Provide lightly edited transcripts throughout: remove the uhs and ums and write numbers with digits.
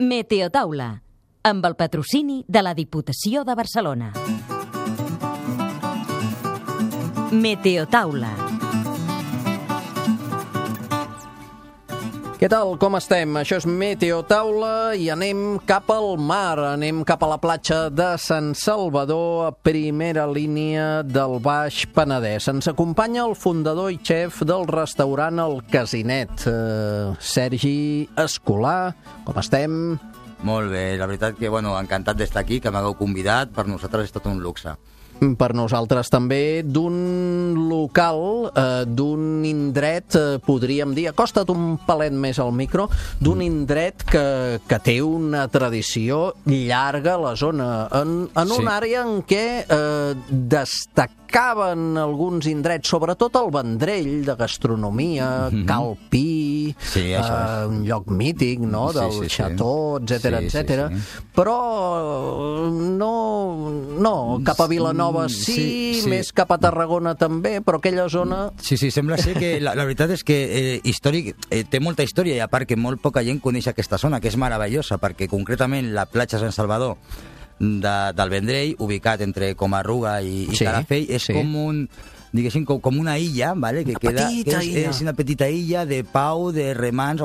Meteotaula, amb el patrocini de la Diputació de Barcelona. Meteotaula. Què tal, com estem? Això és Meteotaula i anem cap al mar, anem cap a la platja de Sant Salvador, a primera línia del Baix Penedès. Ens acompanya el fundador i xef del restaurant El Casinet, Sergi Escolà. Com estem? Molt bé, la veritat que, encantat d'estar aquí, que m'hagueu convidat, per nosaltres és tot un luxe. Per nosaltres també, d'un local, d'un indret, podríem dir, acosta't un palet més al micro, d'un indret que té una tradició llarga a la zona, en una àrea en què destacaven alguns indrets, sobretot el Vendrell, de gastronomia, Cal Pi, un lloc mític, no?, del Xató, etcètera, però no cap a Vilanova sí, més cap a Tarragona també, però aquella zona... Sí, sembla ser que la veritat és que té molta història i a part que molt poca gent coneix aquesta zona, que és meravellosa, perquè concretament la platja Sant Salvador del Vendrell, ubicat entre Comarruga i Calafell, és com un... diguéssim, com una illa, ¿vale? Que és una petita illa de pau, de remans,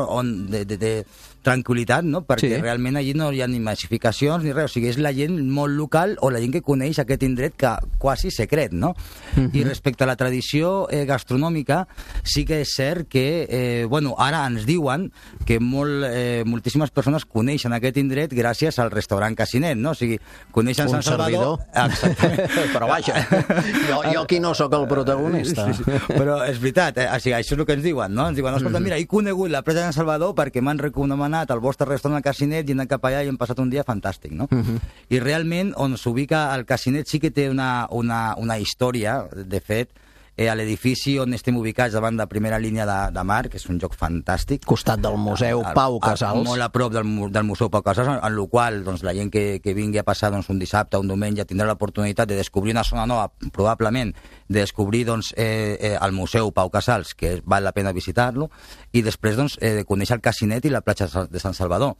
de tranquil·litat, no? Perquè realment allí no hi ha ni massificacions ni res, o sigui, és la gent molt local o la gent que coneix aquest indret que quasi secret, no? I respecte a la tradició gastronòmica, sí que és cert que, ara ens diuen que moltíssimes persones coneixen aquest indret gràcies al restaurant Casinet, no? O sigui, coneixen Sant Salvador... Exactament. Però vaja, jo aquí no sóc el protagonista. Sí. Però és veritat, o sigui, això és el que ens diuen, no? Ens diuen, escolta, mira, he conegut la platja de Sant Salvador perquè m'han recomanat al vostre restaurant al Casinet i he anat cap allà i hem passat un dia fantàstic, no? I realment, on s'ubica el Casinet sí que té una història, de fet, a l'edifici on estem ubicats davant de primera línia de mar, que és un lloc fantàstic. Costat del Museu Pau Casals. Molt a prop del Museu Pau Casals, en el qual la gent que vingui a passar un dissabte o un diumenge tindrà l'oportunitat de descobrir una zona nova, probablement de descobrir el Museu Pau Casals, que val la pena visitar-lo, i després de conèixer el Casinet i la platja de Sant Salvador.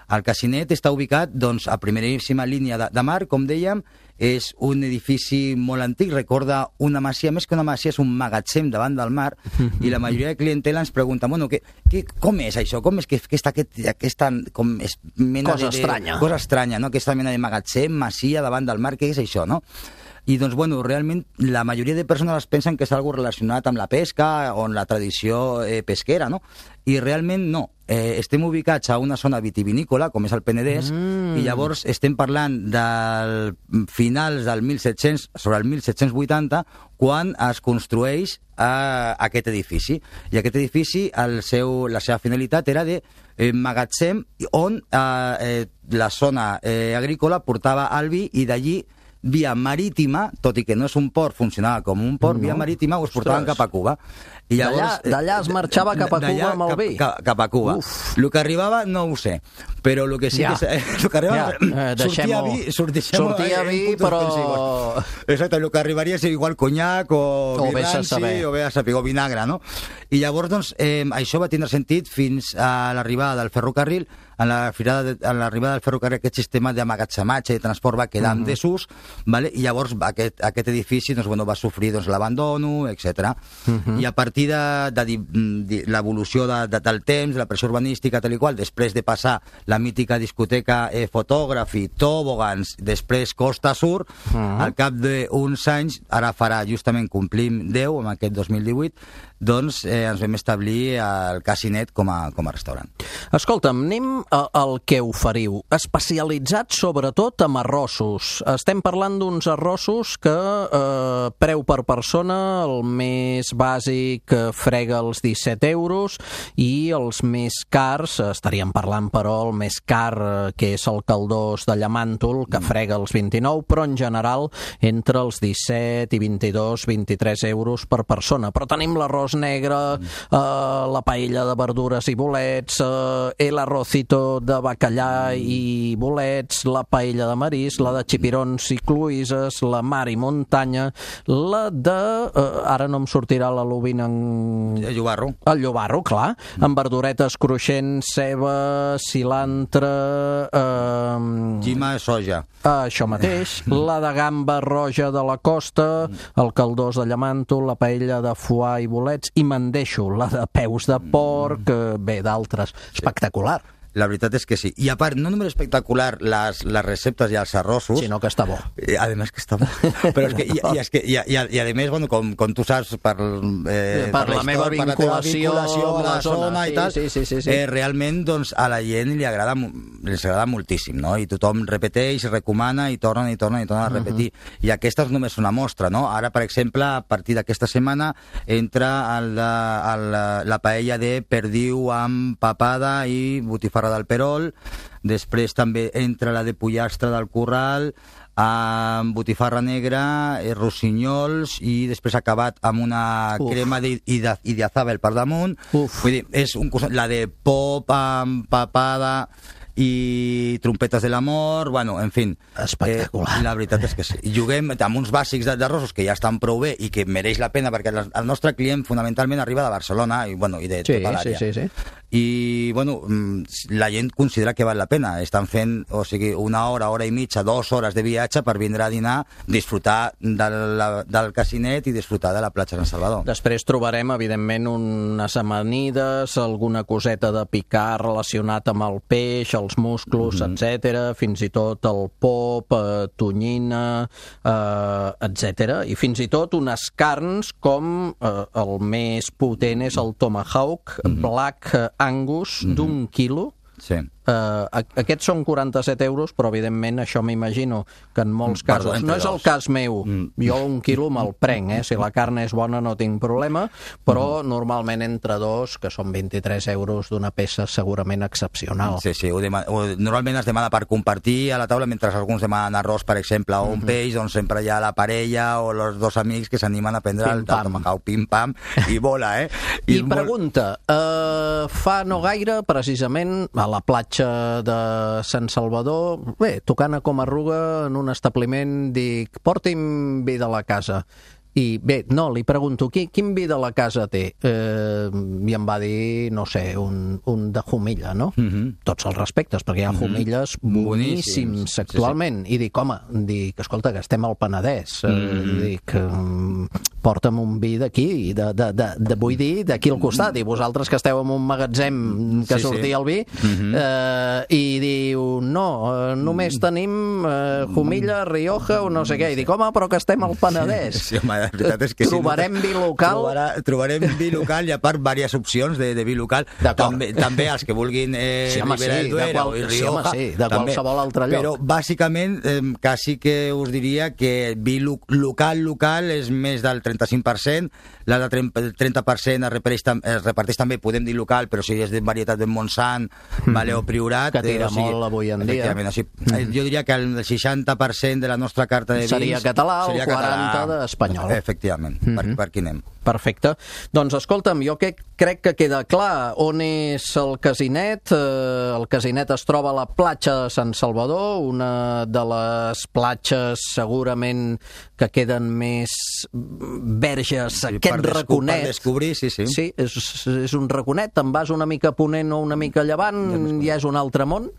El Casinet està ubicat a primeríssima línia de mar, com dèiem, és un edifici molt antic, recorda una masia, més que una masia és un magatzem davant del mar, i la majoria de clientela ens pregunta, com és això? Com és que està aquesta mena cosa estranya? Cosa estranya, no? Aquesta mena de magatzem, masia davant del mar, què és això, no? I realment la majoria de persones es pensen que és algo relacionat amb la pesca o amb la tradició pesquera, no? I realment no. Estem ubicats a una zona vitivinícola, com és el Penedès, i llavors estem parlant del finals del 1700, sobre el 1780, quan es construeix aquest edifici. I aquest edifici, la seva finalitat era de magatzem, on la zona agrícola portava el vi i d'allí via marítima, tot i que no és un port, funcionava com un port, via marítima us portaven cap a Cuba. I llavors, d'allà es marxava cap a Cuba amb el vi? Cap a Cuba. El que arribava no ho sé, però el que sí que... El que arribava... Sortia vi, però... Exacte, el que arribaria és igual conyac o vi ranci o vinagre, no? I llavors, això va tindre sentit fins a l'arribada del ferrocarril. A l'arribada del ferrocarril aquest sistema d'amagatzematge i de transport va quedar en desús, i llavors aquest edifici va sofrir l'abandono, etc. I a partir de l'evolució del temps, la pressió urbanística, tal i qual, després de passar la mítica discoteca Fotògrafi, Tobogans, després Costa Sur, al cap d'uns anys, ara justament complim 10, en aquest 2018, ens vam establir el Casinet com a restaurant. Escolta'm, anem al que oferiu, especialitzat sobretot en arrossos. Estem parlant d'uns arrossos que preu per persona, el més bàsic frega els 17 euros i els més cars, estaríem parlant però el més car, que és el caldós de llamàntol, que frega els 29, però en general entre els 17 i 22, 23 euros per persona. Però tenim l'arròs arròs negre, la paella de verdures i bolets, el arrocito de bacallà i bolets, la paella de marisc, la de xipirons i cloïsses, la mar i muntanya, la de... ara no em sortirà la lubina en... El llobarro. El llobarro, clar, amb verduretes cruixents, ceba, cilantre... Llima, soja. Això mateix, la de gamba roja de la costa, el caldós de llamanto, la paella de foie i bolets, i me'n deixo la de peus de porc, bé, d'altres. Espectacular. La veritat és que sí. I a part, no només espectacular les receptes i els arrossos... Sinó que està bo. Además que està bo. Però és que, i a més, bueno, com tu saps, per la meva vinculació amb la zona i tal, sí. realment doncs, a la gent li agrada moltíssim, no? I tothom repeteix, recomana i torna a repetir. I aquesta és només una mostra, no? Ara, per exemple, a partir d'aquesta setmana entra la paella de perdiu amb papada i botifarra del Perol, després també entra la de pollastre del Corral, amb botifarra negra, rossinyols, i després acabat amb una crema d'idiazabal per damunt. Vull dir, és la de pop amb papada i trompetes de l'amor, bueno, en fi. Espectacular. La veritat és que sí. I juguem amb uns bàsics d'arrossos que ja estan prou bé i que mereix la pena, perquè el nostre client fonamentalment arriba de Barcelona i de tota l'àrea. Sí. I, bueno, la gent considera que val la pena. Estan fent, o sigui, una hora i mitja, 2 hores de viatge per vindre a dinar, disfrutar del casinet i disfrutar de la platja Sant Salvador. Després trobarem, evidentment, unes amanides, alguna coseta de picar relacionat amb el peix, els musclos, etc. Fins i tot el pop, tonyina, etc. I fins i tot unes carns com el més potent és el tomahawk, Black Angus, d'1 quilo. Sí. Aquests són 47 euros, però evidentment això m'imagino que en molts casos, no és el cas meu, jo 1 quilo me'l prenc, si la carn és bona no tinc problema, però normalment entre 2, que són 23 euros d'una peça segurament excepcional. Sí, normalment es demana per compartir a la taula, mentre alguns demanen arròs, per exemple, o un peix, doncs sempre hi ha la parella o els 2 amics que s'animen a prendre el tomahawk, pim-pam, i bola, I pregunta, fa no gaire, precisament, a la platja de Sant Salvador, bé, tocant a Comarruga en un establiment, dic, porti'm vi de la casa. I bé, no, li pregunto, quin vi de la casa té? I em va dir, no sé, un de Jumilla, no? Tots els respectes, perquè hi ha Jumilles boníssims actualment. I dic, home, escolta, que estem al Penedès. Dic, porta'm un vi d'aquí, vull dir, d'aquí al costat. I vosaltres que esteu en un magatzem que sortia el vi, i diu, no, només tenim Jumilla, Rioja o no sé què. I dic, home, però que estem al Penedès. Sí, home, la veritat és que trobarem vi local. Trobarem vi local i a part diverses opcions de vi local. També els que vulguin Ribera del Duero i Rioja. De qualsevol altre lloc. Però bàsicament quasi que us diria que vi local és més del 35%, la de 30% es reparteix també, podem dir local, però si és de varietat de Montsant o Priorat, que tira molt avui en dia. Jo diria que el 60% de la nostra carta de vins seria català, el 40% d'espanyol. Efectivament, per aquí anem. Perfecte. Doncs escolta'm, jo crec que queda clar on és el casinet. El casinet es troba a la platja de Sant Salvador, una de les platges segurament que queden més verges, aquest raconet. Per descobrir, sí. Sí, és un raconet, te'n vas una mica ponent o una mica llevant, ja és un altre món,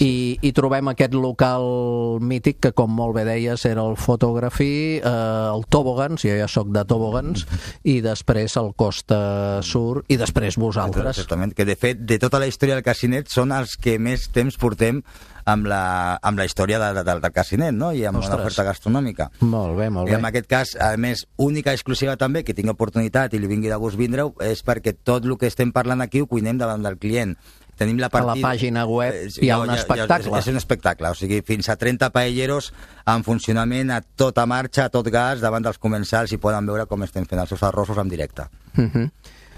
i trobem aquest local mític que, com molt bé deies, era el Photography, el Tobogans, jo ja soc de Tobogans, i després el Costa Sur, i després vosaltres. Exactament, que de fet, de tota la història del casinet són els que més temps portem amb la història del casinet, no? I amb una oferta gastronòmica. Molt bé. I en aquest cas, a més, única i exclusiva també, que tinc oportunitat i li vingui de gust vindre-ho, és perquè tot el que estem parlant aquí ho cuinem davant del client. Tenim la partida... A la pàgina web hi ha un espectacle. És un espectacle, o sigui, fins a 30 paelleros en funcionament a tota marxa, a tot gas, davant dels comensals, i poden veure com estem fent els seus arrossos en directe.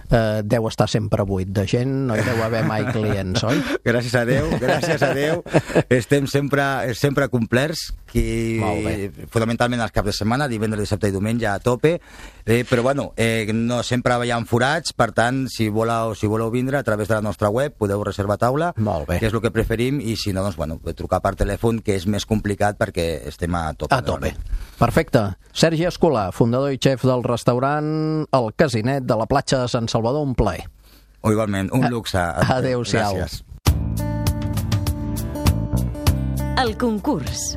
Deu estar sempre buit de gent, no hi deu haver mai clients, oi? Gràcies a Déu. Estem sempre complerts, fonamentalment els caps de setmana, divendres, dissabte i diumenge a tope, però bueno, no sempre hi ha forats, per tant, si voleu vindre a través de la nostra web podeu reservar taula, que és el que preferim, i si no, doncs, bueno, trucar per telèfon, que és més complicat perquè estem a tope. A tope. Perfecte. Sergi Escolà, fundador i xef del restaurant El Casinet de la platja de Sant Salvador, un plaer. Igualment, un luxe. Adéu-siau. Gràcies. El concurs.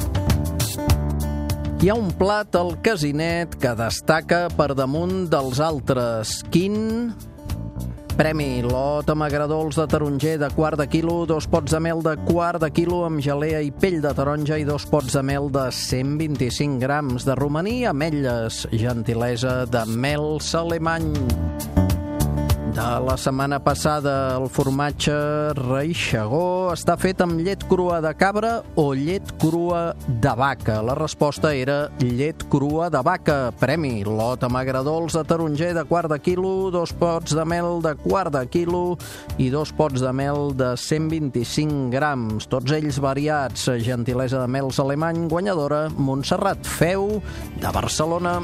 Hi ha un plat al Casinet que destaca per damunt dels altres. Quin? Premi: lot amb agradols de taronger de quart de quilo, 2 pots de mel de quart de quilo amb gelea i pell de taronja i 2 pots de mel de 125 grams de romaní, ametlles, gentilesa de mel Salemany. De la setmana passada, el formatge Reixegó està fet amb llet crua de cabra o llet crua de vaca. La resposta era llet crua de vaca. Premi: lot amb agradols de taronger de quart de quilo, 2 pots de mel de quart de quilo i 2 pots de mel de 125 grams. Tots ells variats. Gentilesa de mel Salemany, guanyadora Montserrat Feu, de Barcelona.